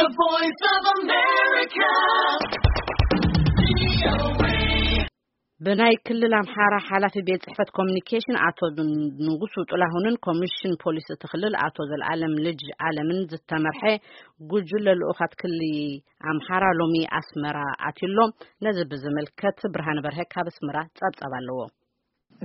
The Voice of America. ብናይ ክልል ኣምሓራ ሓላፊ ቤት ጽሕፈት ኮሚኒኬሽን ኣቶ ንጉሱ ጥላሁንን ኮሚሽን ፖሊስ እቲ ክልል ኣቶ ዘልኣለም ልጅ ኣለምን ዝተመርሐ ጉጅለ ልኡኻት ክልል ኣምሓራ ሎሚ ኣስመራ ኣትዩሎ። ነዚ ብዝምልከት ብርሃነ በርሀ ካብ ኣስመራ ጸብጻብ ኣለዎ።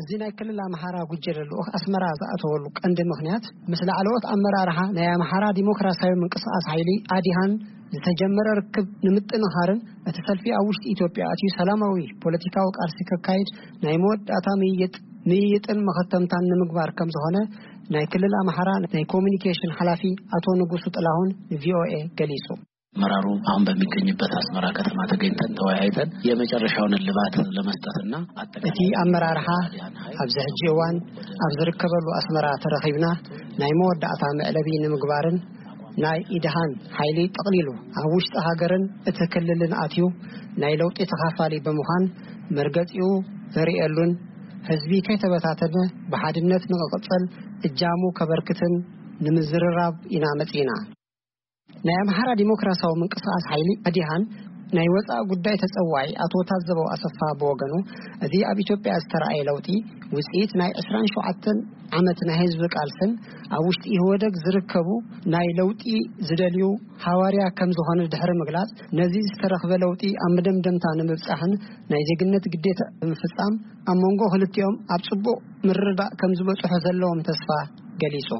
እዚ ናይ ክልል ኣምሓራ ጉጀለ ልኡኽ ኣስመራ ዝኣተወሉ ቀንዲ ምኽንያት፣ ምስ ላዕለዎት ኣመራርሓ ናይ ኣምሓራ ዲሞክራሲያዊ ምንቅስቓስ ሓይሊ ኣዲሃን ዝተጀመረ ርክብ ንምጥንኻርን እቲ ሰልፊ ኣብ ውሽጢ ኢትዮጵያ ኣትዩ ሰላማዊ ፖለቲካዊ ቃልሲ ከካይድ ናይ መወዳእታ ምይይጥ ምይይጥን መኸተምታን ንምግባር ከም ዝኾነ ናይ ክልል ኣምሓራ ናይ ኮሚኒኬሽን ሓላፊ ኣቶ ንጉሱ ጥላሁን ንቪኦኤ ገሊጹ። መራሩ አሁን በሚገኝበት አስመራ ከተማ ተገኝተን ተወያይተን የመጨረሻውን እልባት ለመስጠትና እቲ ኣመራርሓ ኣብዚ ሕጂ እዋን ኣብ ዝርከበሉ ኣስመራ ተረኺብና ናይ መወዳእታ መዕለቢ ንምግባርን ናይ ኢድሃን ሓይሊ ጠቕሊሉ ኣብ ውሽጢ ሃገርን እቲ ክልልን ኣትዩ ናይ ለውጢ ተኻፋሊ ብምዃን መርገጺኡ ዘርእየሉን ህዝቢ ከይተበታተነ ብሓድነት ንክቕጽል እጃሙ ከበርክትን ንምዝርራብ ኢና መጺና። ናይ ኣምሓራ ዲሞክራሲያዊ ምንቅስቓስ ሓይሊ ኣዲሃን ናይ ወፃኢ ጉዳይ ተፀዋዒ ኣቶ ታዘበው ኣሰፋ ብወገኑ፣ እዚ ኣብ ኢትዮጵያ ዝተረኣየ ለውጢ ውፅኢት ናይ ዕስራን ሸውዓተን ዓመት ናይ ህዝቢ ቃልስን ኣብ ውሽጢ ኢህወደግ ዝርከቡ ናይ ለውጢ ዝደልዩ ሃዋርያ ከም ዝኾነ ድሕሪ ምግላፅ፣ ነዚ ዝተረኽበ ለውጢ ኣብ መደምደምታ ንምብፃሕን ናይ ዜግነት ግዴታ ብምፍፃም ኣብ መንጎ ክልቲኦም ኣብ ፅቡቕ ምርዳእ ከም ዝበፅሑ ዘለዎም ተስፋ ገሊፁ።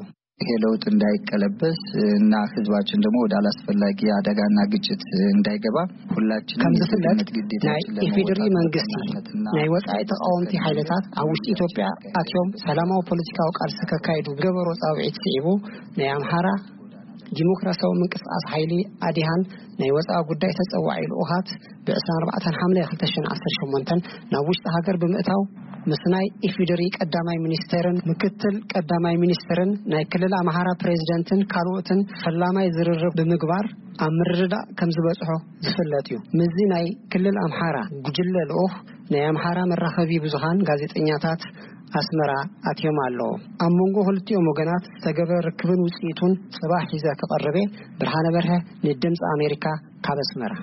ይሄ ለውጥ እንዳይቀለበስ እና ህዝባችን ደግሞ ወደ አላስፈላጊ አደጋና ግጭት እንዳይገባ ሁላችንም ከም ዝፍለጥ የዜግነት ግዴታችን ናይ ለመወጣት ኢፌዴሪ መንግስቲ በቀናነትና ናይ ወጻኢ ተቃወምቲ ሓይልታት ኣብ ውሽጢ ኢትዮጵያ ኣትዮም ሰላማዊ ፖለቲካዊ ቃልሲ ከካይዱ ገበሮ ጻውዒት ስዒቡ ናይ ኣምሓራ ዲሞክራሲያዊ ምንቅስቃስ ሓይሊ ኣዲሃን ናይ ወጻኢ ጉዳይ ተጸዋዒ ልኡኻት ብ ዕስራን ኣርባዕተን ሓምለ ክልተ ሽሕን ዓሰርተ ሸሞንተን ናብ ውሽጢ ሃገር ብምእታው ምስ ናይ ኢፌዴሪ ቀዳማይ ሚኒስቴርን ምክትል ቀዳማይ ሚኒስትርን ናይ ክልል ኣምሓራ ፕሬዚደንትን ካልኦትን ፈላማይ ዝርርብ ብምግባር ኣብ ምርድዳእ ከም ዝበጽሖ ዝፍለጥ እዩ። ምስዚ ናይ ክልል ኣምሓራ ጉጅለ ልኡኽ ናይ ኣምሓራ መራኸቢ ብዙሃን ጋዜጠኛታት ኣስመራ ኣትዮም ኣለዉ። ኣብ መንጎ ክልቲኦም ወገናት ዝተገበረ ርክብን ውጽኢቱን ጽባሕ ሒዘ ክቐርብ እየ። ብርሃነ በርሀ ንድምፂ ኣሜሪካ ካብ ኣስመራ።